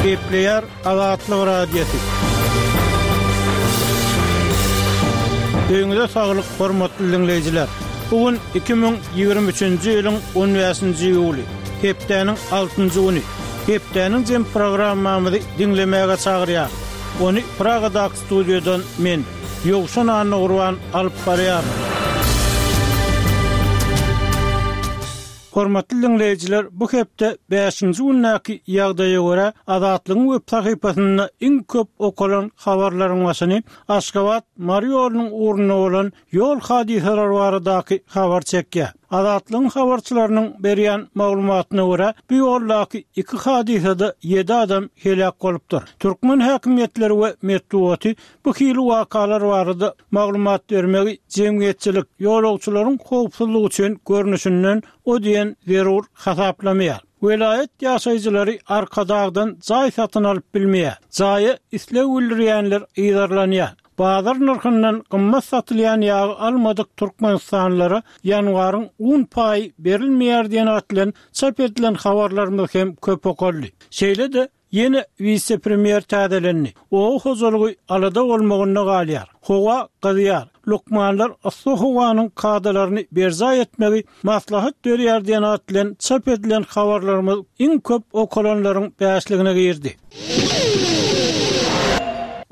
Gepleýär Azatlyk Radiosy. Öýüňize saglyk, hormatly diňleýjiler! Bu gün 2023-nji ýylyň 15-nji iýuly, hepdäniň altynjy güni. Hepdäniň jem programmamyzy diňlemäge çagyrýarys. Ony Pragadaky studiýadan men, Ýowşan Annagurban alyp barýaryn. Hormatly diňleýjiler, bu hepde bäşinji gündäki ýagdaýa görä, Azatlygyň web sahypasynda iň köp okalan habarlaryň başyny Aşgabat, Mary ýolunyň ugrunda bolan ýol hadysalary baradaky habar çekýär. Azatlygyň habarçylarynyň berýän maglumatyna görä, bu ýoldaky iki hadysada ýedi adam heläk bolupdyr. Türkmen häkimiýetleri we metbugaty bu hili wakalar barada maglumat bermegi jemgyýetçilik, ýolagçylaryň howpsuzlygy üçin görnüşinden o diýen zerur hasaplamaýar. Welaýat ýaşaýjylary Arkadagdan jaý satyn alyp bilmeýär. Jaýa isleg bildirýänler yzarlanýar. Bazar nyrhyndan gymmat satylýan ýagy almadyk türkmenistanlylara ýanwaryň un paýy berilmeýär diýen at bilen çap edilen habarlarymyz hem köp okaldy. Şeýle-de, Ýene wise-premýer täzelendi. Oba hojalygy alada bolmagynda galýar. Howa gyzýar. Lukmanlar yssy howanyň kadalaryny berjaý etmegi maslahat berýär diýen at bilen çap edilen habarlarymyz iň köp okalanlaryň bäşligine girdi.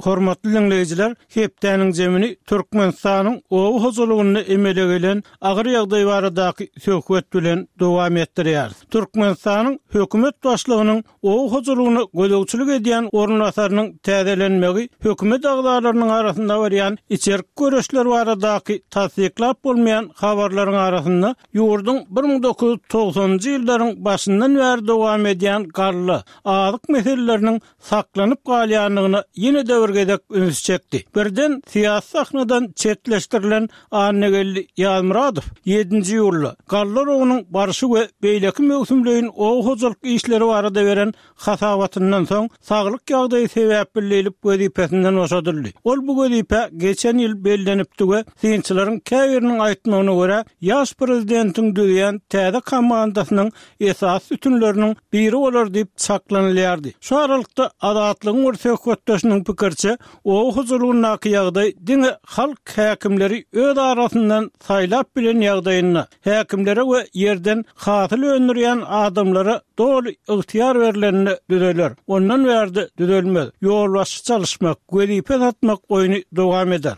Hormatly diňleýjiler, hepdäniň jemini Türkmenistanyň oba hojalygynda emele gelen agyr ýagdaý baradaky söhbet bilen dowam etdirýäris. Türkmenistanyň hökümet başlygynyň Oba hojalygyna gözegçilik edýän orunbasarynyň täzelenmegi hökümet agzalarynyň arasynda barýan içerki göreşler baradaky tassyklap bolmaýan habarlaryň arasynda ýurduň 1990-njy ýyllaryň başyndan bäri dowam edýän galla, azyk meseleleriniň saklanyp galýandygyna ýene-de bir gezek ünsi çekdi. Birden syýasy sahnadan çetleşdirilen Annageldi Ýazmyradow ýedinji iýulda galla rogunyň barşy we beýleki möwsümleýin oba hojalyk işleri barada beren hasabatyndan soň, saglyk ýagdaýy sebäpli diýlip wezipesinden boşadyldy. Ol bu wezipä geçen ýyl bellenipdi we synçylaryň käbiriniň aýtmagyna görä, ýaş prezidentiň düzýän täze komandasynyň esasy sütünleriniň biri bolar diýip çaklanylýardy. Şu aralykda, Azatlygyň bir söhbetdeşiniň pikiriçe, Oba hojalygyndaky ýagdaý diňe halk häkimleri öz arasyndan saýlap bilen ýagdaýynda, häkimlere we ýerden hasyl öndürýän adamlara doly ygtyýar berlende düzeler. Ondan bärde düzelmez. Ýolbaşçy çalyşmak, wezipe satmak oýny dowam eder.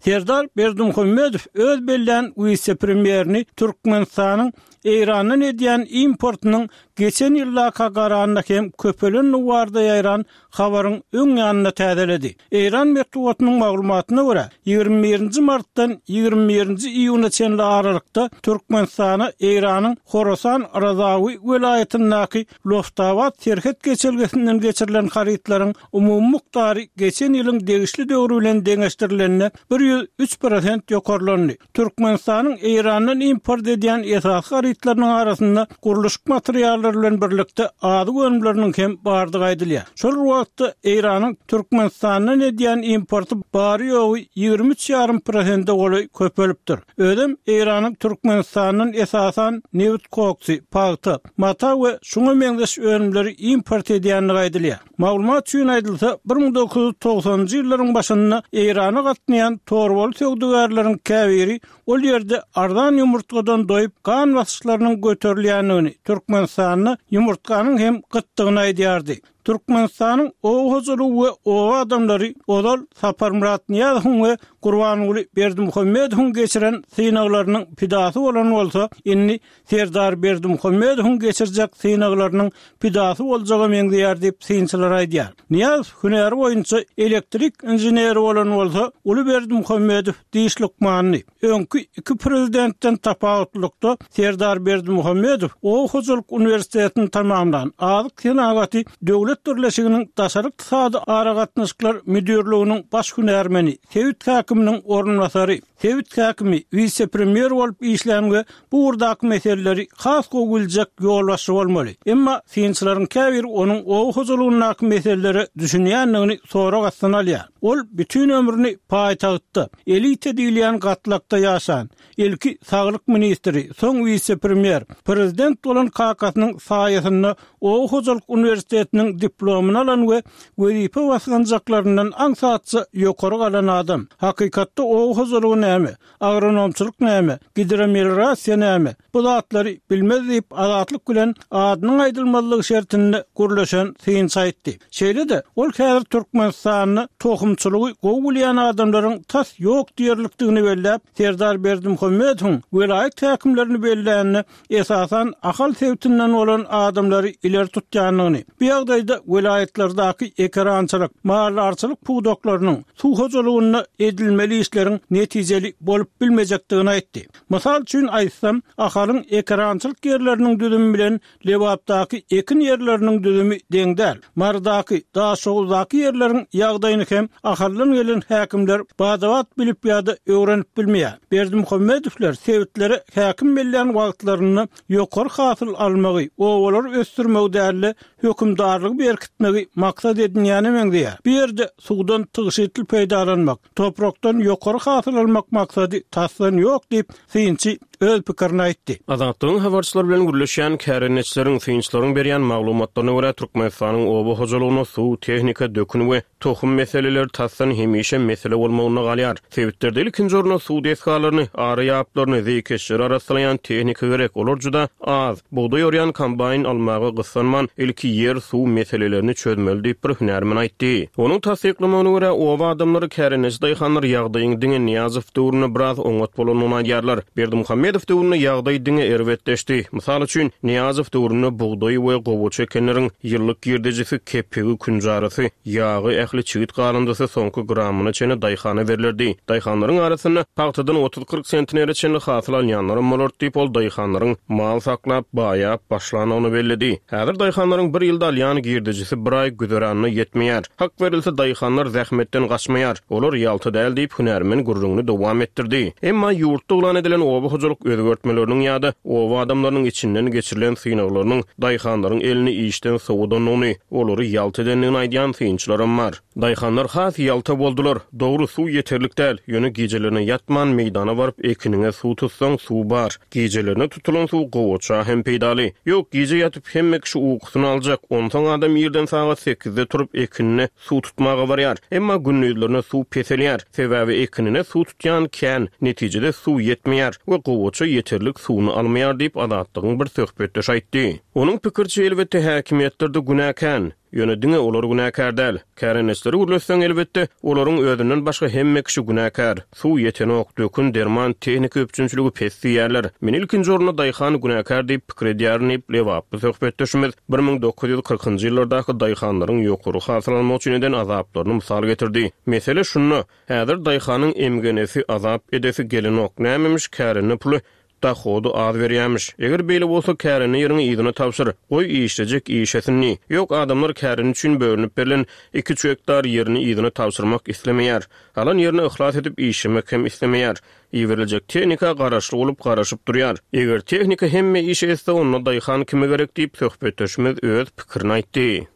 Serdar Berdimuhamedow öz bellän wise-premýerini Türkmenistanyň Eýrandan edýän importynyň geçen ýyldaka garanda hem köpelendigi barada ýaýran habaryň öň ýanynda täzeledi. Eýran metbugatynyň maglumatyna görä, 21 nji martdan 21 nji iýuna çenli aralykda Türkmenistana Eýranyň Horasan Razawi welaýatyndaky Loftabat serhet geçelgesinden geçirilen harytlaryň umumy mukdary geçen ýylyň degişli döwri bilen deňeşdirilende 103 prosent ýokarlandy. Türkmenistanyň Eýrandan import edýän esasy harytlarynyň arasynda gurluşyk materiallary bilen birlikde azyk önümleriniň hem bardygy aýdylýar. Şol bir wagtda, Eýranyň Türkmenistandan edýän importy bary-ýogy 23 ýarym prosente golaý köpelipdir. Özem Eýranyň Türkmenistandan esasan nebit koksy, pagta, mata we şuňa meňzeş önümleri import edýändigi aýdylýar. Maglumat üçin aýdylsa, 1990-njy ýyllaryň başynda Eýrana gatnaýan torbaly söwdagärleriň käbiri ol ýerde arzan ýumurtgadan doýup, gan basyşlarynyň göterilýändigini, Türkmenistanda ýumurtganyň hem gytdygyny aýdýardy. Türkmenistanyň oba hojalygy we oba adamlary ozal Saparmyrat Nyýazowyň we Gurbanguly Berdimuhamedowyň geçiren synaglarynyň pidasy bolan bolsa, indi Serdar Berdimuhamedowyň geçirjek synaglarynyň pidasy boljaga meňzeýär diýip, synçylar aýdýar. Nyýazow hünäri boýunça elektrik inženeri bolan bolsa, uly Berdimuhamedow diş lukmanydy. Öňki iki prezidentden tapawutlylykda, Serdar Berdimuhamedow oba hojalyk uniwersitetini tamamlan, Azyk senagaty döwlet birleşiginiň daşary ykdysady aragatnaşyklar müdirliginiň baş hünärmeni, sebit häkiminiň orunbasary, Sebit häkimi, wise-premýer bolup işlän we bu ugurdaky meseleleri has gowy biljek ýolbaşçy bolmaly. Emma synçylaryň käbiri onuň oba hojalygyndaky meselelere düşünýändigini sorag astyna alýar. Ol bütin ömrüni paýtagtda, elita diýilýän gatlakda ýaşan, ilki saglyk ministri, soň wise-premýer, prezident bolan kakasynyň saýasynda oba hojalyk uniwersitetiniň diplomyny alan we wezipe basgançaklaryndan aňsatja ýokary galan adam. Hakykatda oba hojalygy näme? Agronomçylyk näme? Gidromeliorasiýa näme? Bu zatlary bilmez diýip, Azatlyk bilen adynyň aýdylmazlygy şertinde gürleşen synçy aýtdy. Şeýle-de, ol häzir Türkmenistanda tohumçylygy gowy bilýän adamlaryň tas ýok diýerlikdigini belläp, Serdar Berdimuhamedowyň welaýat häkimlerini bellände, esasan, Ahal sebitinden bolan adamlary ileri tutýandygyny, bu ýagdaýda welaýatlardaky ekerançylyk, maldarçylyk pudaklarynyň, suw hojalygynda edilmeli işleriň netijeli bolup bilmejekdigini aýtdy. Mysal üçin aýtsam, Ahalyň ekerançylyk ýerleriniň düzümi bilen Lebapdaky ekin ýerleriniň düzümi deň däl. Marydaky, Daşoguzdaky ýerleriň ýagdaýyny hem Ahaldan gelen häkimler bada-bat bilip ýa-da öwrenip bilmeýär. Berdimuhamedowlar sebitlere häkim bellän wagtlarynda ýokary hasyl almagy, obalary ösdürmegi däl-de, hökümdarlygy berkitmegi maksat edinýäne meňzeýär. Bu ýerde suwdan tygşytly peýdalanmak, toprakdan ýokary hasyl almak maksady tasdan ýok diýip, synçy öz pikirini aýtdy. Azatlygyň habarçylary bilen gürleşýän kärendeçileriň, synçylaryň berýän maglumatlaryna görä, Türkmenistanyň oba hojalygynda suw, tehnika, dökün we tohum meseleleri tasdan hemişe mesele bolmagynda galýar. Sebitlerde ilkinji orunda suw desgalaryny, ary ýaplaryny, zeýkeşleri arassalaýan tehnika gerek, olar juda az. Bugdaý orýan kombaýn almaga gyssanman, ilki ýer, suw meselelerini çözmeli diýip, bir hünärmen aýtdy. Onuň tassyklamagyna görä, oba adamlary, kärendeçi daýhanlar ýagdaýyň diňe Nyýazow döwründe biraz oňat bolandygyny aýdýarlar. Berdimuhamedow döwründe ýagdaý diňe erbetleşdi. Mysal üçin, Nyýazow döwründe bugdaý we gowaça ekenleriň ýyllyk girdejisi, kepegi, künjarasy, ýagy, ähli çigit galyndysy soňky gramyna çenli daýhana berlerdi. Daýhanlaryň arasynda pagtadan otuz-kyrk sentnere çenli hasyl alýanlaram bolardy diýip, ol daýhanlaryň mal saklap, baýap başlandygyny belledi. Häzir daýhanlaryň bir ýylda alýan girdejisi bir aý güzeranyna ýetmeýär. Hak berilse, daýhanlar zähmetden gaçmaýar. Olar ýalta däl diýip, hünärmen gürrüňini dowam etdirdi. Emma ýurtda yglan edilen oba hojalyk özgertmeleriniň ýa-da oba adamlarynyň içinden geçirilen synaglarynyň daýhanlaryň elini işden sowadandygyny, olary ýalta edendigini aýdýan synçylaram bar. Daýhanlar has ýalta boldular. Dogry, suw ýeterlik däl, ýöne gijelerine ýatman meýdana baryp ekiniňe suw tutsaň, suw bar. Gijelerine tutulan suw gowaça hem peýdaly. Ýok, gije ýatyp hemme kişi ukusyny aljak, onsoň adam irden sagat sekizde turup ekinine suw tutmaga barýar. Emma gündizlerine suw peselýär. Sebäbi ekinine suw tutýan kän, netijede suw ýetmeýär we gowaça ýeterlik suwuny almaýar diýip, Azatlygyň bir söhbetdeşi aýtdy. Onuň pikiriçe, elbetde, häkimiýetlerde günä kän. Ýöne diňe olar günäkär däl. Kärendeçileri gürletseň, elbetde, olaryň özünden başga hemme kişi günäkär. Suw ýetenok, dökün, derman, tehnika üpjünçiligi pes diýýärler. Men ilkinji orunda daýhan günäkär diýip pikir edýärin diýip, lebaply söhbetdeşimiz 1940-njy ýyllardaky daýhanlaryň ýokary hasyl almak üçin eden azaplaryny mysal getirdi. Mesele şunda, häzir daýhanyň emgenesi, azap edesi gelenok. Nämemiş kärende puly Dahody az berýämiş. Eger beýle bolsa, kärende ýeriňi yzyna tabşyr. Goý, işlejek işlesin diý. Ýok, adamlar kärende üçin bölünip berlen iki-üç gektar ýerini yzyna tabşyrmak islemeýär. Alan ýerine yhlas edip işlemek hem islemeýär. Iberiljek tehnika garaşly bolup garaşyp durýar. Eger tehnika hemme işi etse, onda daýhan kime gerek diýip, söhbetdeşimiz öz pikirini aýtdy.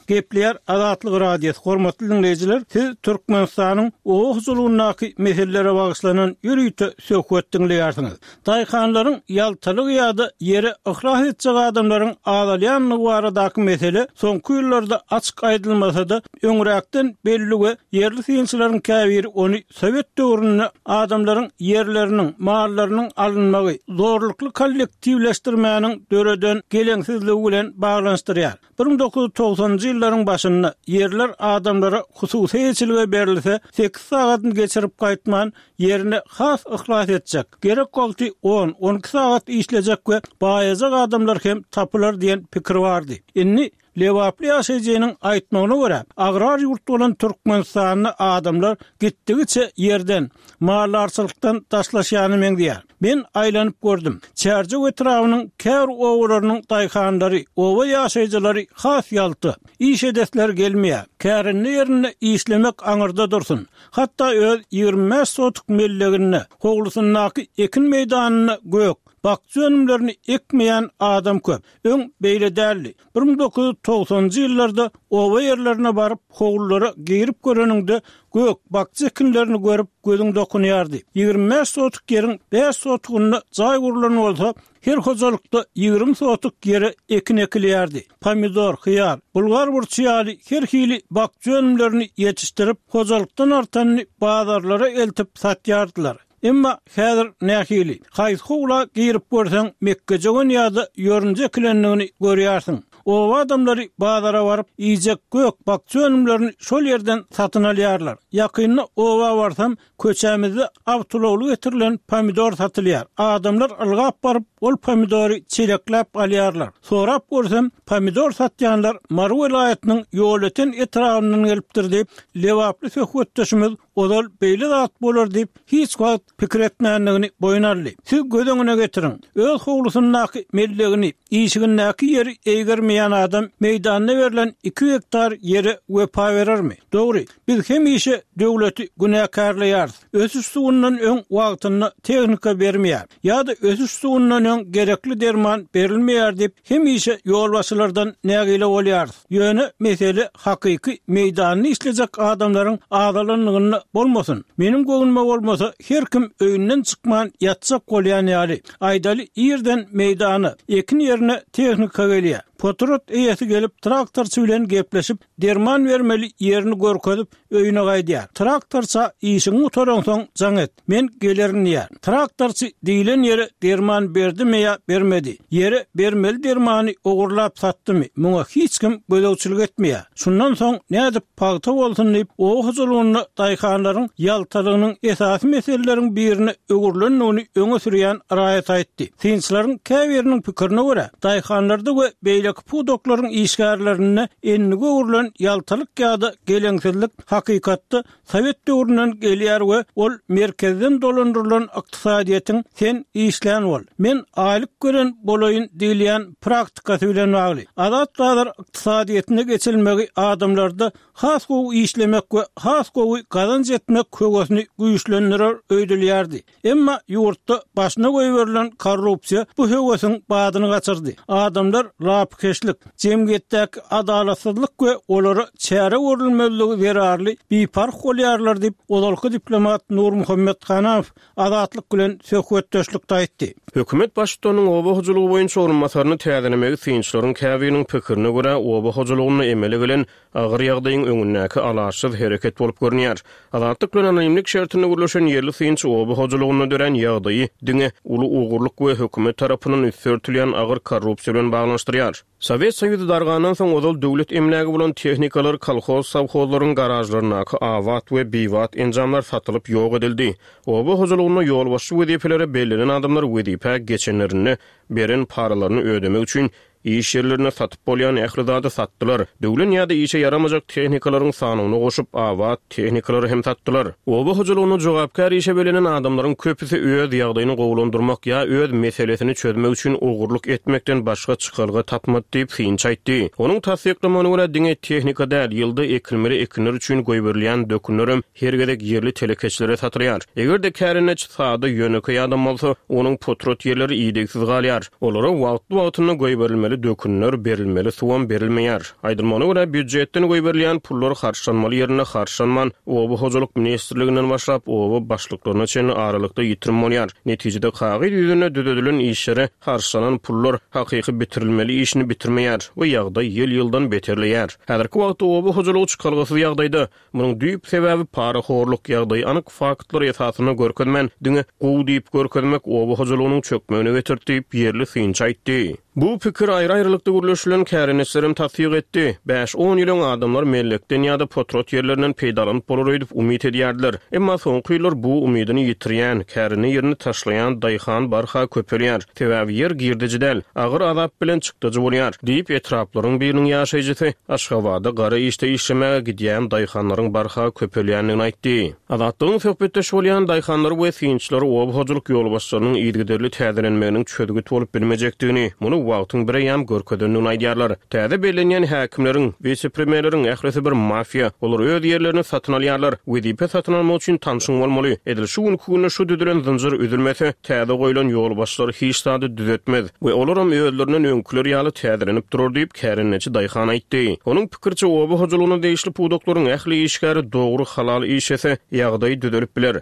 Gepleýär Azatlyk Radiosy, Hormatly diňleýjiler, siz Türkmenistanyň oba hojalygyndaky meselelere bagyşlanan ýörite söhbet diňleýärsiňiz. Daýhanlaryň ýaltalygy ýa-da ýere yhlas etjek adamlaryň azalýandygy baradaky mesele soňky ýyllarda açyk aýdylmasa-da, öňräkden belli we ýerli synçylaryň käbiri ony sowet döwründe adamlaryň ýerleriniň, mallarynyň alynmagy, zorlukly kollektiwleşdirmäniň döreden geleňsizligi bilen baglanyşdyrýar. 1990-njy ýyllaryň başynda ýerler adamlara hususy eýeçilige berilse, sekiz sagadyny geçirip gaýtman, ýerine has yhlas etjek, gerek wagty on, on iki sagat işlejek we baýajak adamlar hem tapylar diýen pikir bardy. Indi Lebaply ýaşaýjynyň aýtmagyna görä, agrar ýurt bolan Türkmenistanda adamlar gitdigiçe ýerden, maldarçylykdan daşlaşýana meňzeýär. Men aýlanyp gördüm. Çärjew etrabynyň käbir obalarynyň daýhanlary, oba ýaşaýjylary has ýalta. Iş edesleri gelmeýär. Kärende ýerinde işlemek aňyrda dursun. Hatda öz 25 sotuk melleginde, howlusyndaky ekin meýdanynda gök. Bakja önümlerini ekmeýän adam köp. Öň beýle däldi. 1990-njy ýyllarda oba ýerlerine baryp, howlulara girip göreniňde, gök, bakja ekinlerini görüp, gözüň dokunýardy. 25 sotuk ýeriň bäş sotugynda jaý gurlan bolsa, her hojalykda 20 sotuk ýere ekin ekilýärdi. Pomidor, hyýar, bulgar burçy ýaly her hili bakja önümlerini ýetişdirip, hojalykdan artanyny bazarlara eltip satýardylar. Emma häzir nähili? Haýsy howla girip görseň, mekgejöwen ýa-da ýorunja ekilendigini görýärsiň. Oba adamlary bazara baryp, iýjek gök-bakja önümlerini şol ýerden satyn alýarlar. Ýakynda oba barsam, köçämizde awtoulagly getirilen pomidor satylýar. Adamlar ylgap baryp, ol pomidory çelekläp alýarlar. Sorap görsem, pomidor satýanlar Mary welaýatynyň Ýolöten etrabyndan gelipdir diýip, lebaply söhbetdeşimiz Ozal beýle zat bolar diýip, hiç wagt pikir etmändigini boýun aldy. Siz göz öňüne getiriň, öz howlusyndaky mellegini, işigindäki ýeri eýgermeýän adam meýdanda berlen iki gektar ýere wepa berermi? Dogry, biz hemişe döwleti günäkärleýäris, ösüş suwundan öň wagtynda tehnika bermeýär ýa-da ösüş suwundan öň gerekli derman berilmeýär diýip, hemişe ýolbaşçylardan nägile bolýarys. Ýöne mesele hakyky meýdanda işlejek adamlaryň azalanlygynda bolmasyn. Meniň göwnüme bolmasa her kim öýünden çykman ýatjak bolýan ýaly. Aýdaly irden meýdana, ekin ýerine tehnika gelýär. Potrat eýesi gelip traktorçy bilen gepleşip derman bermeli ýerini görkezip öýüne gaýdýar. Traktorça işiňi gutaraňsoň jaň et. Men gelerin diýýär. Traktorçy diýlen ýere derman berdimi ýa bermedi, ýere bermeli dermany ogurlap satdymy, muňa hiç kim gözegçilik etmeýär. Şundan soň nädip pagta bolsun diýip, oba hojalygynda daýhanlaryň ýaltalygynyň esasy meseleleriň birine öwrülendigini öňe sürýän raýat aýtdy. Synçylaryň käbiriniň pikirine görä, daýhanlarda we beýleki pudaklaryň işgärlerinde endige öwrülen ýaltalyk ýa-da geleňsizlik hakykatda Sowet döwründen gelýär we ol merkezden dolandyrylan ykdysadyýetiň sen işlän bol, men aýlyk gören bolaýyn diýilýän praktikasy bilen bagly. Azat bazar ykdysadyýetine geçilmegi adamlarda has gowy işlemek we has gowy gazanç etmek höwesini güýçlendirer öýdülýärdi. Emma ýurtda başyna goýberilen korrupsiýa bu höwesiň badyny gaçyrdy. Adamlar lapykeçlik, jemgyýetdäki adalatsyzlyk we olara çäre görülmezligi zerarly biparh bolýarlar diýip, ozalky diplomat Nurmuhammet Hanamow Azatlyk bilen söhbetdeşlikde aýtdy. Hökümet baştutanynyň oba hojalygy boýunça orunbasaryny täzelemegi synçylaryň käbiriniň pikirine görä, oba hojalygynda emele gelen Agyr ýagdaýyň öňündäki alaçsyz hereket bolup görünýär. Azatlyk bilen anonimlik şertinde gürleşen ýerli synçy oba hojalygynda dörän ýagdaýy diňe uly ogurlyk we hökümet tarapyndan üsti örtülýän agyr korrupsiýa bilen baglanyşdyrýar. Sowet Soýuzy dargandan soň ozal döwlet emlägi bolan tehnikalar kolhoz-sowhozlaryň garažlaryndaky abat we bibat enjamlar satylyp ýok edildi. Oba hojalygynda ýolbaşçy wezipelere bellenen adamlar wezipä geçenlerinde beren paralaryny ödemek üçin Iş ýerlerinde satyp bolýan ähli zady satdylar. Döwlen ýa-da işe ýaramajak tehnikalaryň sanyna goşup, abat tehnikalary hem satdylar. Oba hojalygynda jogapkär işe bellenen adamlaryň köpüsi öz ýagdaýyny gowulandyrmak ýa öz meselesini çözmek üçin ogurlyk etmekden başga çykalga tapmady diýip, synçy aýtdy. Onuň tassyklamagyna görä, diňe tehnika däl, ýylda ekilmeli ekinler üçin goýberilýän dökünlerem her gezek ýerli telekeçilere satylýar. Eger-de kärendeçi sada, ýönekeý adam bolsa, onuň potrat ýerleri idegsiz galýar. Olara wagtly-wagtynda goýberilmeli dökünler, berilmeli suwam berilmeýär. Aýdylmagyna görä, býujetden goýberilýän pullar harçlanmaly ýerinde harçlanman, Oba hojalyk ministrliginden başlap, oba başlyklaryna çenli aralykda ýitirim bolýar. Netijede kagyz ýüzünde düzedilen işlere harçlanan pullar hakyky bitirilmeli işini bitirmeýär we ýagdaý ýyl-ýyldan beterleýär. Häzirki wagtda oba hojalygy çykalgasyz ýagdaýda. Munuň düýp sebäbi parahorluk, ýagdaýy anyk faktlar esasynda görkezmän, diňe gowy diýip görkezmek oba hojalygynyň çökmegine getirdi diýip, ýerli synçy aýtdy. Bu pikiri aýry-aýrylykda gürleşilen kärendeçilerem tassyk etdi. Bäş-on ýyl öň adamlar mellekden ýa-da potrat ýerlerinden peýdalanyp bolar öýdüp umyt edýärdiler. Emma soňky ýyllar bu umydyny ýitirýän, kärende ýerini taşlaýan daýhan barha köpelýär. Sebäbi ýer girdeji däl, agyr azap bilen çykdajy bolýar, diýip, etraplaryň biriniň ýaşaýjysy Aşgabada gara işde işlemäge gidýän daýhanlaryň barha köpelýändigini aýtdy. Azatlygyň söhbetdeş bolýan daýhanlary we synçylary oba hojalyk ýolbaşçylarynyň yzygiderli täzelenmeginiň çözgüt bolup bilmejekdigini, muny. wagtyň bireýýäm görkezendigini aýdýarlar. Täze bellenýän häkimleriň, wise-premýerleriň ählisi bir mafiýa. Olar öz ýerlerini satyn alýarlar. Wezipe satyn almak üçin tanşyň bolmaly. Edil şu günki günde şu düzülen zynjyr üzülmese, täze goýlan ýolbaşçylar hiç zady düzetmez we olaram özlerinden öňküler ýaly täzelenip durar diýip, kärendeçi daýhan aýtdy. Onuň pikiriçe, oba hojalygyna degişli pudaklaryň ähli işgäri dogry, halal işlese, ýagdaý düzelip biler.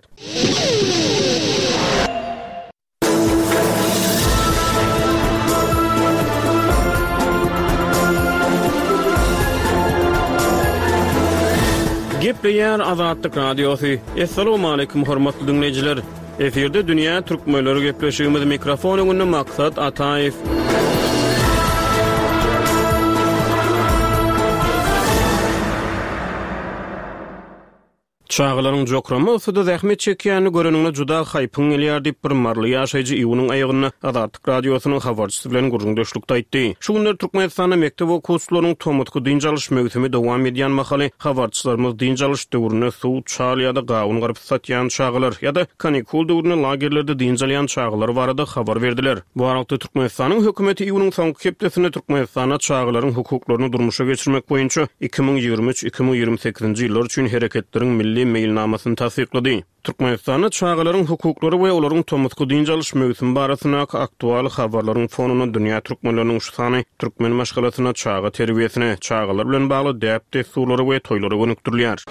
Gepleýär Azatlyk Radiosy. Assalamualaikum hormatly diňleýjiler. Efirde dünýä türkmenleri gepleşigimiz mikrofon öňünde Maksat Ataýew. Çagalaryň jokrama yssyda zähmet çekýänini göreniňde juda haýpyň gelýär diýip, bir maryly ýaşaýjy iýunyň aýagynda Azatlyk Radiosynyň habarçysy bilen gürrüňdeşlikde aýtdy. Şu günler Türkmenistanda mekdep okuwçylarynyň tomusky dynç alyş möwsümi dowam edýän mahaly, habarçylarymyz dynç alyş döwründe suw, çal ýa-da gawun-garpyz satýan çagalar ýa-da kanikul döwründe lagerlerde dynç alýan çagalar barada habar berdiler. Bu aralykda, Türkmenistanyň hökümeti iýunyň soňky hepdesinde Türkmenistanda çagalaryň hukuklaryny durmuşa geçirmek boýunça 2023, 2028-nji ýyllar üçin Hereketleriň milli meýilnamasyny tassyklady. Türkmenistanda çagalaryň hukuklary we olaryň tomusky dynç alyş möwsümi barasyndaky aktual habarlaryň fonunda dünýä türkmenleriniň şu sany türkmen maşgalasynda çaga terbiýesine, çagalar bilen bagly däp-dessurlara we toýlara gönükdirilýär.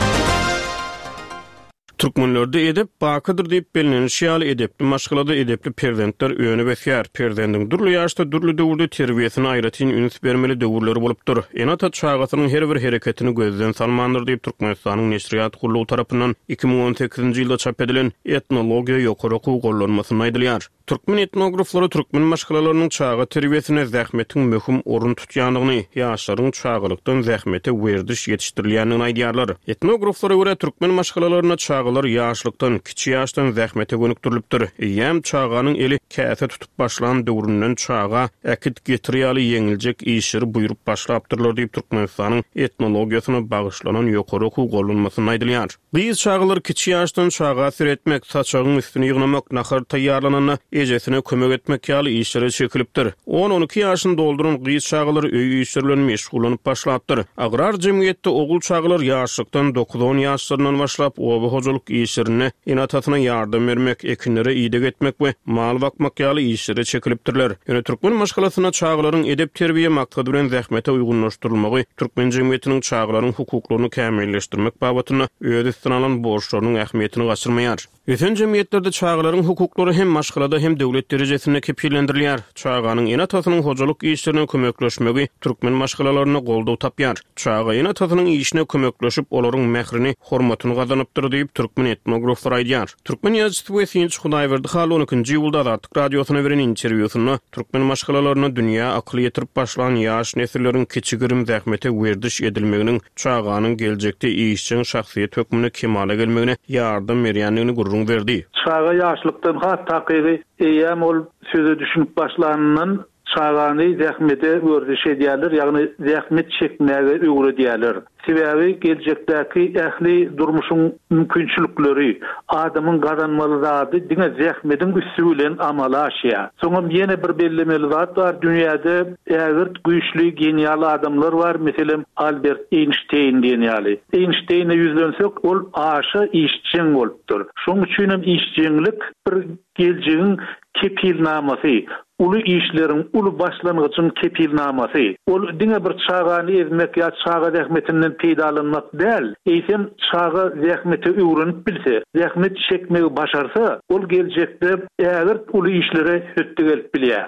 Türkmenlerde Edep bakydyr diýip bellenilişi ýaly, edepli maşgalada edepli perzentler önüp ösýär. Perzendiň dürli ýaşda, dürli döwürde terbiýesine aýratyn üns bermeli döwürleri bolupdyr. Ene-ata çagasynyň her bir hereketini gözden salmandyr diýip, Türkmenistanyň Neşirýat gullugy tarapyndan 2018-nji ýylda çap edilen Etnologiýa ýokary okuw gollanmasynda aýdylýar. Türkmen etnograflary türkmen maşgalalarynyň çaga terbiýesinde zähmetiň möhüm orun tutýandygyny, ýaşlaryň çagalykdan zähmete werziş ýetişdirilýändigini aýdýarlar. Etnograflara görä, türkmen maşgalalarynda çagalar ýaşlykdan, kiçi ýaşdan zähmete gönükdirilipdir. Eýýäm çaganyň eli käse tutup başlan döwründen çaga äkit-getir ýaly ýeňiljek işleri buýrup başlapdyrlar diýip, Türkmenistanyň etnologiýasyna bagyşlanan ýokary okuw gollanmasynda aýdylýar. Gyz çagalar kiçi ýaşdan çaga seretmek, saçagyň üstüni ýygnamak, nahar taýýarlananda ejesine kömek etmek ýaly işlere çekilipdir. On-on iki ýaşyny dolduran gyz çagalar öý işleri bilen meşgullanyp başlapdyr. Agrar jemgyýetde ogul çagalar ýaşlykdan dokuz-on ýaşlaryndan başlap oba hojalyk işlerinde ene-atasyna ýardam bermek, ekinlere ideg etmek we mal bakmak ýaly işlere çekilipdirler. Ýöne türkmen maşgalasynda çagalaryň edep-terbiýe maksady bilen zähmete uýgunlaşdyrylmagy türkmen jemgyýetiniň çagalaryň hukuklaryny kämilleşdirmek babatynda öz üstüne alan borçlarynyň ähmiýetini gaçyrmaýar. Ösen jemgyýetlerde çagalaryň hukuklary hem maşgalada, hem döwlet derejesinde kepillendirilýär. Çaganyň ene-atasynyň hojalyk işlerine kömekleşmegi türkmen maşgalalarynda goldaw tapýar. Çaga ene-atasynyň işine kömekleşip, olaryň mährini, hormatyny gazanypdyr diýip, türkmen etnograflary aýdýar. Türkmen ýazyjysy we synçy Hudaýberdi Hally on ikinji iýulda Azatlyk Radiosyna beren interwýusynda türkmen maşgalalarynda dünýä akyl ýetirip başlan ýaş nesilleriň kiçi-girim zähmete werziş edilmeginiň çaganyň geljekde işjeň şahsyýet hökmünde kemala gelmegine ýardam berýändigini gürrüň berdi. Çaga ýaşlykdan has takygy eýýäm ol söze düşünip başlanyndan Çagany zähmete werziş edýärler, ýagny zähmet çekmäge öwredýärler. Sebäbi geljekdäki ähli durmuşyň mümkinçilikleri, adamyň gazanmaly zady diňe zähmediň üsti bilen amala aşýar. Soňam ýene bir bellemeli zat bar, dünýäde ägirt güýçli genial adamlar bar, meselem, Albert Eýnşteýn diýen ýaly. Eýnşteýne ýüzlensek, ol aşa işjeň bolupdyr. Şonuň üçinem işjeňlik bir Geljegiň kepilnamasy, uly işleriň, uly başlangyjyň kepilnamasy. Ol diňe bir çagany ezmek ýa çaga zähmetinden peýdalanmak däl, eýsem, çaga zähmete öwrenip bilse, zähmet çekmegi başarsa, ol geljekde ägirt uly işlere hötde gelip bilýär.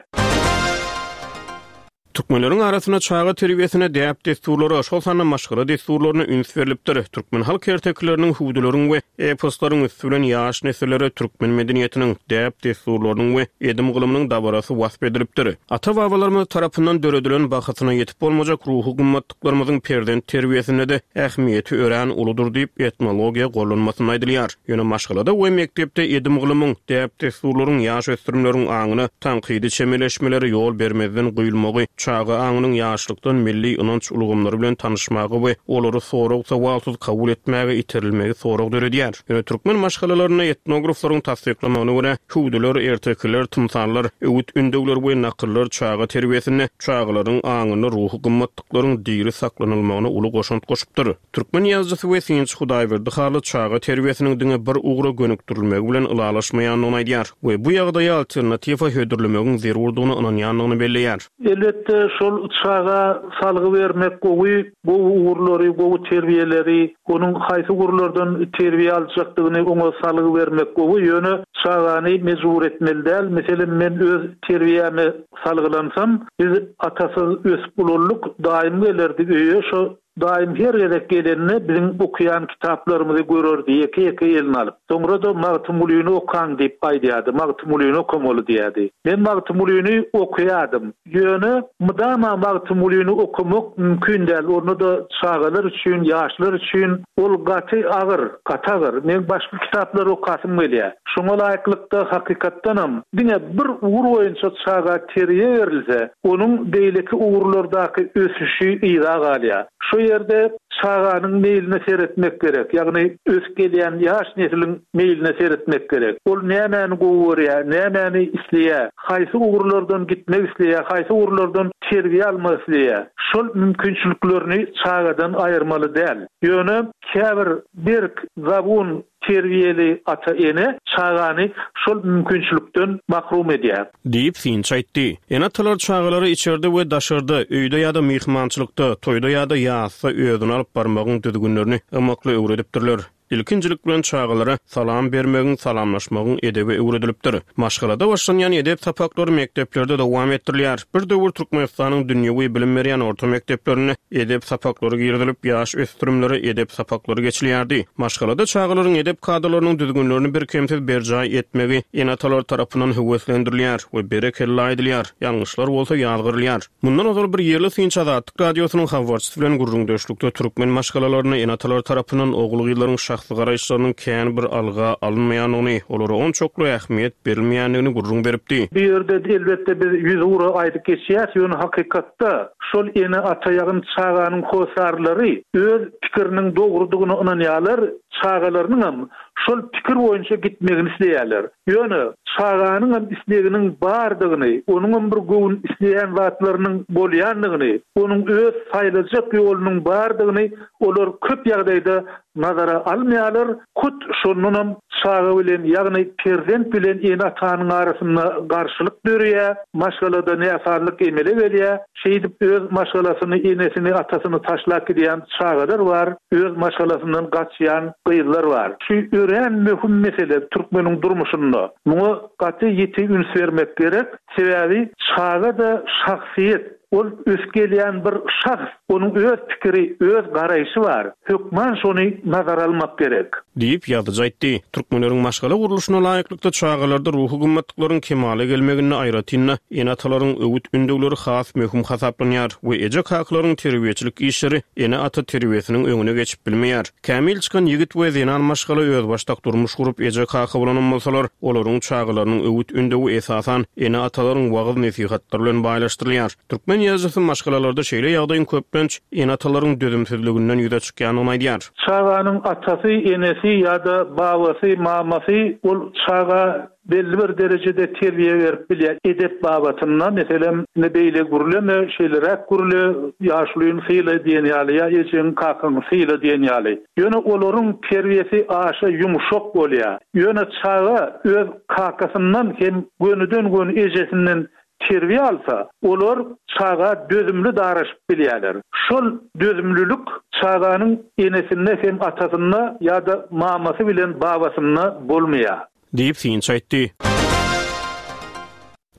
Türkmenleriň arasynda çaga terbiýesine däp-dessurlara, şol sanda maşgala dessurlaryna üns berlipdir. Türkmen halk ertekileriniň, hüwdüleriň we eposlaryň üsti bilen ýaş nesillere türkmen medeniýetiniň, däp-dessurlarynyň we edim-gylymynyň dabarasy wasp edilipdir. Ata-babalarymyz tarapyndan döredilen bahasyna ýetip bolmajak ruhy gymmatlyklarymyzyň perzent terbiýesinde-de ähmiýeti örän uludyr diýip, etnologiýa gollanmasynda aýdylýar. Ýöne maşgalada we mekdepde edim-gylymyň, däp-dessurlaryň ýaş ösdürimleriň aňyna tankydy çemeleşmelere ýol bermezden guýulmagy. Çaga aňynyň ýaşlykdan milli ynanç ulgamlary bilen tanyşmaga we olary sorag-sowalsyz kabul etmäge iterilmegi sorag döredýär. Ýöne türkmen maşgalalarynda etnograflaryň tassyklamagyna görä, hüwdüler, ertekiler, tymsallar, öwüt-ündewler we nakyllar çaga terbiýesinde çagalaryň aňynda ruhy gymmatlyklaryň diri saklanylmagyna uly goşant goşupdyr. Türkmen ýazyjysy we synçy Hudaýberdi Hally çaga terbiýesiniň diňe bir ugra gönükdirilmegi bilen ylalaşmaýandygyny aýdýar we bu ýagdaýa alternatiwa hödürlemegiň zerurdygyna ynanýandygyny belleýär. Elbetde, şol çaga salgy bermek gowy, gowy ugurlary, gowy terbiýeleri, onuň haýsy ugurlardan terbiýe aljakdygyny oňa salgy bermek gowy, ýöne çagany mejbur etmeli däl. Meselem, men öz terbiýäme salgylansam, biz atasyz ösüp ulaldyk, daýym gelerdi öýe, şo Daýym her gezek gelende biziň okaýan kitaplarymyzy görerdi, ýeke-ýeke eline alyp. Soňra-da Magtymgulyny okaň diýip aýdýardy, Magtymgulyny okamaly diýýärdi. Men Magtymgulyny okaýardym. Ýöne mydama Magtymgulyny okamak mümkin däl, onda-da çagalar üçin, ýaşlar üçin ol gaty agyr, gaty agyr. Meň başga kitaplary okasym gelýär. Şoňa laýyklykda, hakykatdanam, diňe bir ugur boýunça çaga terbiýe berilse, onuň beýleki ugurlardaky ösüşi yza galýar. Şu ýerde çaganyň meýline seretmek gerek, ýagny ösüp gelýän ýaş nesliň meýline seretmek gerek. Ol nämäni gowy görýär, nämäni isleýär, haýsy ugurlardan gitmek isleýär, haýsy ugurlardan terbiýe almak isleýär. Şol mümkinçiliklerini çagadan aýyrmaly däl. Ýöne käbir berk, zabun Terbiýeli ata-ene çagany şol mümkinçilikden mahrum edýär. Diýip, synçy aýtdy. Ene-atalar çagalara içerde we daşarda, öýde ýa-da myhmançylykda, toýda ýa-da ýasda özüni alyp barmagyň düzgünlerini ymykly öwredipdirler. Ilkinjilik bilen çagalara salam bermegiň, salamlaşmagyň edebi öwredilipdir. Maşgalada başlanýan edep sapaklary mekdeplerde dowam etdirilýär. Bir döwür Türkmenistanyň dünýewi bilim berýän orta mekdeplerinde edep sapaklary girizilip, ýaş ösdürimlere edep sapaklary geçilýärdi. Maşgalada çagalaryň edep kadalarynyň düzgünlerini birkemsiz berjaý etmegi ene-atalar tarapyndan höweslendirilýär we berekella aýdylýar, ýalňyşlar bolsa ýazgarylýar. Mundan ozal bir ýerli synçy Azatlyk Radiosynyň habarçysy bilen gürrüňdeşlikde türkmen maşgalalarynda ene-atalar tarapyndan ogul-gyzlaryň şahsy garaýyşlarynyň kän bir alga alynmaýandygyny, olara onçakly ähmiýet berilmeýändigini gürrüň beripdi. Bu ýerde elbetde biz ýüzugra aýdyp geçýäs, ýöne hakykatda şol ene-ata ýagny çaganyň hossarlary öz pikiriniň dogrudygyna ynanýarlar, çagalarynyňam şol pikir boýunça gitmegini isleýärler. Ýöne çaganyňam isleginiň bardygyny, onuňam bir göwün isleýän zatlarynyň bolýandygyny, onuň öz saýlajak ýolunyň bardygyny olar köp ýagdaýda nazara almaýarlar, hut şondanam çaga bilen, ýagny perzent bilen ene-atanyň arasynda garşylyk döreýär, maşgalada näsazlyk emele gelýär. Şeýdip öz maşgalasyny, enesini, atasyny taşlap gidýän çagalar bar, öz maşgalasyndan gaçýan gyzlar bar. Şu örän möhüm mesele türkmeniň durmuşynda. Muňa gaty ýiti üns bermek gerek. Sebäbi çaga-da şahsyýet. Ol ösüp gelýän bir şahs, onuň öz pikiri, öz garaýşy bar. Hökman şony nazara almak gerek. Diýip, ýazyjy aýtdy. Türkmenleriň maşgala gurluşyna laýyklykda çagalarda ruhy gymmatlyklaryň kemala gelmeginde aýratyn-da ene-atalaryň öwüt-ündewleri has möhüm hasaplanýar we eje-kakalaryň terbiýeçilik işleri ene-ata terbiýesiniň öňüne geçip bilmeýär. Kämil çykan ýigit we zenan maşgala özbaşdak durmuş gurup eje-kaka bolanam bolsalar, olaryň çagalarynyň öwüt-ündewi esasan ene-atalaryň wagyz-nesihatlary bilen baýlaşdyrylýar. Türkmen ýazyjysy maşgalalarda şeýle ýagdaýyň köplenç ene-atalaryň dözümsizliginden ýüze çykýandygyny aýdýar. Çaganyň atasy, enesi ýa-da babasy, mamasy ol çaga belli bir derejede terbiýe berip bilýär edep babatynda, meselem, indi beýle gürleme, şeýleräk gürle, ýaşulyny syla diýen ýaly ýa ejeňi, kakaňy syla diýen ýaly. Ýöne olaryň terbiýesi aşa ýumşak bolýar. Ýöne çaga öz kakasyndan hem gönüden-göni ejesinden terbiýe alsa, olar çaga dözümli daraşyp bilýärler. Şol dözümlilik çaganyň enesinde hem atasynda ýa-da mamasy bilen babasynda bolmaýar. Diýip, synçy aýtdy.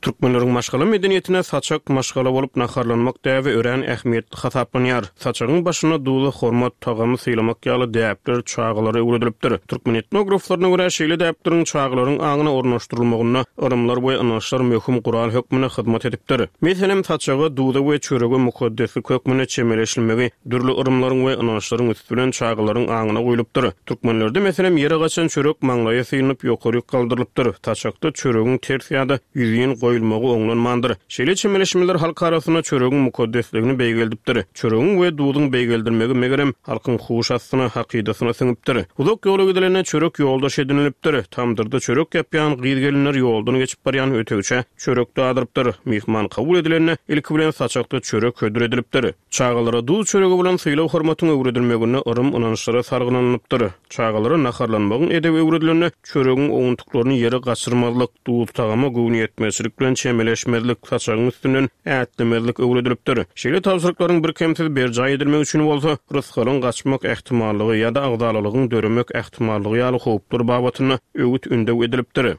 Türkmenleriň maşgala medeniýetinde saçak maşgala bolup naharlanmak däbi örän ähmiýetli hasaplanýar. Saçagyň başynda duza hormat, tagamy sylamak ýaly däpler çagalara öwredilipdir. Türkmen etnograflaryna görä, şeýle däpleriň çagalaryň aňyna ornaşdyrylmagynda yrymlar we ynançlar möhüm gural hökmünde hyzmat edipdir. Meselem, saçaga, duza we çörege mukaddeslik hökmünde çemeleşilmegi dürli yrymlaryň we ynançlaryň üsti bilen çagalaryň aňyna guýlupdyr. Türkmenlerde, meselem, ýere gaçan çörek maňlaýa synyp, ýokaryk galdyrylypdyr. Saçakda çöregiň ters ýa-da ýüzin goýulmagy. goýulmagy oňlanmandyr. Şeýle çemeleşmeler halk arasynda çöregiň mukaddesligini beýgeldipdir. Çöregiň we duzuň beýgeldilmegi, megerem, halkyň huş astyna, hakydasyna siňipdir. Uzak ýola gidilende çörek ýoldaş edinilipdir. Tamdyrda çörek ýapýan gyz-gelinler ýoldan geçip barýan ötegçä çörek dadyrypdyr. Myhman kabul edilende, ilki bilen saçakda çörek hödür edilipdir. Çagalara duz çöregi bolan sylag-hormatyň öwredilmeginde yrym-ynançlara salgylanylypdyr. Çagalara naharlanmagyň edebi öwredilende, çöregiň owuntyklaryny ýere gaçyrmazlyk, duz-tagama göwnüýetmezçilik bilen çemeleşmezlik, saçagyň üstünden ätlemezlik öwredilipdir. Şeýle tabşyryklaryň birkemsiz berjaý edilmegi üçin bolsa, rysgalyň gaçmak ähtimallygy ýa-da agzalalygyň döremek ähtimallygy ýaly howplar babatynda öwüt-ündew edilipdir.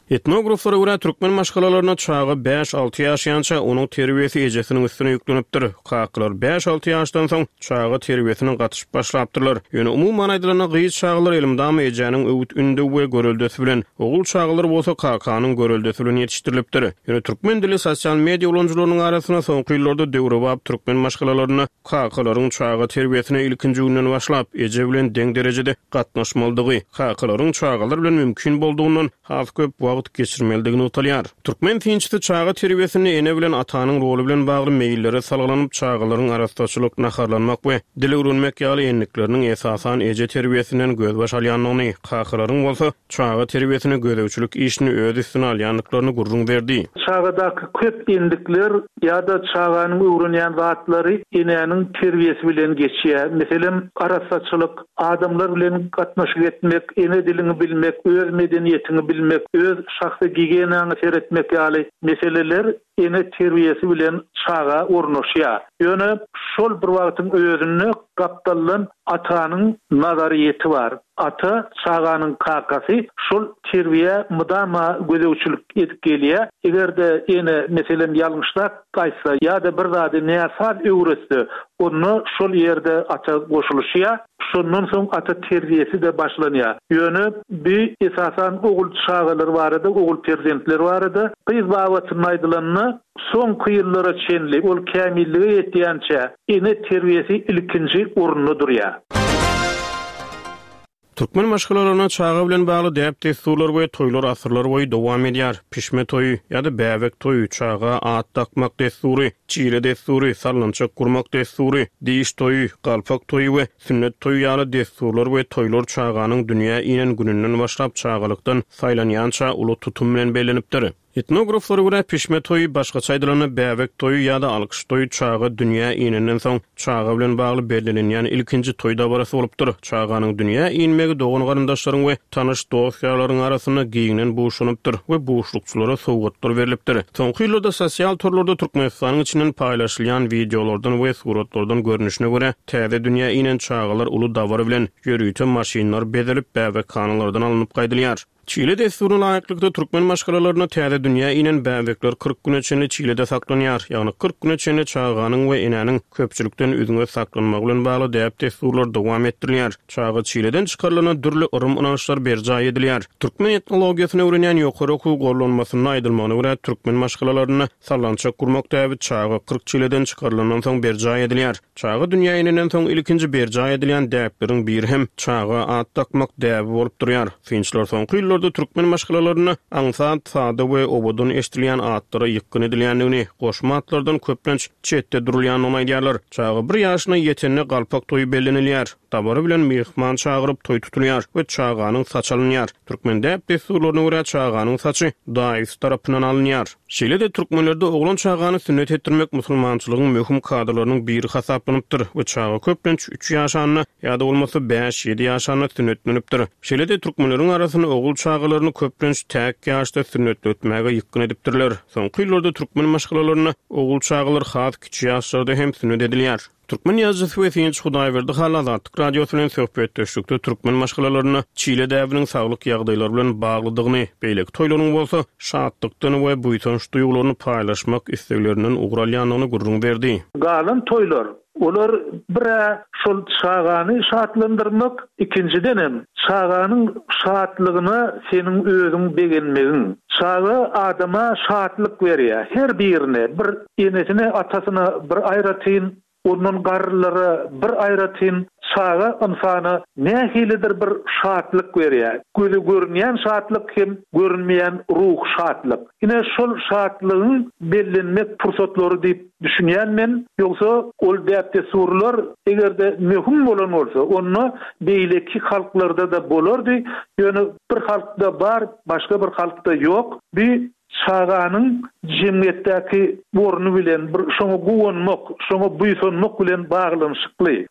Etnograflara görä, türkmen maşgalalarynda çaga bäş-alty ýaşaýança, onuň terbiýesi ejesiniň üstüne ýüklenipdir. Kakalar bäş-alty ýaşdan soň çaga terbiýesine gatyşyp başlapdyrlar. Ýöne umuman aýdylanda, gyz çagalar elmydama ejäniň öwüt-ündew we göreldesi bilen, ogul çagalar bolsa kakanyň göreldesi bilen ýetişdirilipdir. Ýöne türkmen dili sosial media ulanyjylarynyň arasynda soňky ýyllarda döwrebap türkmen maşgalalarynda kakalaryň çaga terbiýesine ilkinji günden başlap, eje bilen deň derejede gatnaşmalydygy, kakalaryň çagalar bilen mümkin boldugyndan has köp wagt geçirmelidigi nygtalýar. Türkmen synçysy çaga terbiýesinde ene bilen atanyň roly bilen bagly meýillere salgylanyp, çagalaryň arassaçylyk, naharlanmak we dil öwrenmek ýaly endikleriniň esasan eje terbiýesinden gözbaş alýandygyny, kakalaryň bolsa çaga terbiýesine gözegçilik işini öz üstüne alýandyklaryny gürrüň berdi. Çagadaky köp endikler ýa-da çaganyň öwrenýän zatlary enäniň terbiýesi bilen geçýär. Meselem, arassaçylyk, adamlar bilen gatnaşyk etmek, ene diliňi bilmek, öz medeniýetiňi bilmek, öz şahsy gigiýenaňa seretmek ýaly meseleler ene terbiýesi bilen çaga ornaşýar. Ýöne şol bir wagtyň özünde gapdaldan atanyň nazaryýeti bar. Ata, çaganyň kakasy şol terbiýä mydama gözegçilik edip gelýär. Eger-de ene, meselem, ýalňyşrak aýtsa ýa-da bir zady näsaz öwretse, onda şol ýerde ata goşulyşýar. Şondan soň ata terbiýesi-de başlanýar. Ýöne bi esasan ogul çagalar barada, ogul perzentler barada. Gyz babatynda aýdylanda, soňky ýyllara çenli, ol kämillige ýetýänçä ene terbiýesi ilkinji orunda durýar. Türkmen maşgalalarynda çaga bilen bagly däp-dessurlar we toýlar asyrlar boýy dowam edýär. Pişme toýy ýa-da bäbek toýy, çaga at dakmak dessury, çile dessury, sallançak gurmak dessury, diş toýy, galpak toýy we sünnet toýy ýaly dessurlar we toýlar çaganyň dünýä inen gününden başlap çagalykdan saýlanýança uly tutum bilen bellenipdir. Etnograflara görä, pişme toýy, başgaça aýdylanda, bäbek toýy ýa-da alkyş toýy çaga dünýä inenden soň, çaga bilen bagly bellenilýän ilkinji toý dabarasy bolupdyr. Çaganyň dünýä inmegi dogan-garyndaşlaryň we tanyş dost-ýarlaryň arasynda giňden buşlanypdyr we buşlukçylara sowgatlar berlipdir. Soňky ýyllarda sosial torlarda Türkmenistanyň içinden paýlaşylýan wideolardan we suratlardan görnüşine görä, täze dünýä inen çagalar uly dabara bilen, ýörite maşynlar bezelip, bäbekhanalardan alnyp gaýdylýar. Çile dessuryna laýyklykda, türkmen maşgalalarynda täze dünýä inen bäbekler 40 güne çenli çilede saklanýar. Ýagny 40 güne çenli çaganyň we enäniň köpçülikden üzňe saklanmagy bilen bagly däp-dessurlar dowam etdirilýär. Çaga çileden çykarylanda dürli yrym-ynançlar berjaý edilýär. Türkmen etnologiýasyny öwrenýän ýokary okuw gollanmasynda aýdylmagyna görä, türkmen maşgalalarynda sallançak gurmak däbi çaga 40 çileden çykarylandan soň berjaý edilýär. Çaga dünýä inenden soň ilkinji berjaý edilýän däpleriň biri hem çaga at dakmak däbi bolup durýar. Synçylar soňky ýyllarda türkmen maşgalalarynda aňsat, sada we owadan eşidilýän atlara ýykgyn edilýändigini, goşma atlardan köplenç çetde durulýandygyny aýdýarlar. Çaga bir ýaşyna ýetende galpak toýy bellenilýär. Dabara bilen myhman çagyryp toý tutulýar we çaganyň saçy alynýar. Türkmen däp-dessurlaryna görä çaganyň saçy daýysy tarapyndan alynýar. Şeýle-de türkmenlerde oglan çagany sünnet etdirmek musulmançylygyň möhüm kadalarynyň biri hasaplanypdyr we çaga köplenç üç ýaşanda ýa-da bolmasa bäş-ýedi ýaşanda sünnetlenipdir. Şeýle-de türkmenleriň arasynda ogul çagalaryny köplenç täk ýaşda sünnetletmäge ýykgyn edipdirler. Soňky ýyllarda türkmen maşgalalarynda ogul çagalar has kiçi ýaşlarda hem sünnet edilýär. Türkmen ýazyjysy we synçy Hudaýberdi Hally Azatlyk Radiosy bilen söhbetdeşlikde türkmen maşgalalarynda çile däbiniň saglyk ýagdaýlary bilen baglydygyny, beýleki toýlaryň bolsa şatlykdan we buýsanç duýgularyny paýlaşmak isleglerinden ugur alýandygyny gürrüň berdi. Galan toýlar, olar bir-ä şol çagany şatlandyrmak, ikinjidenem, çaganyň şatlygyna seniň özüň begenmegiň. Çaga adama şatlyk berýär, her birine bir Enesine, atasyna bir aýratyn, Ondan garrylara bir aýratyn çaga ynsana nähilidir bir şatlyk berýär. Göze görünýän şatlyk hem görünmeýän ruhy şatlyk. Ine şol şatlygyň bellenmek pursatlary diýip düşünýän men. Ýogsa ol däp-dessurlar eger-de möhüm bolan bolsa, onda beýleki halklarda-da bolardy. Ýöne bir halkda bar, başga bir halkda ýok. Bu çaganyň jemgyýetdäki orny bilen, bir şoňa guwanmak, şoňa buýsanmak bilen baglanyşykly.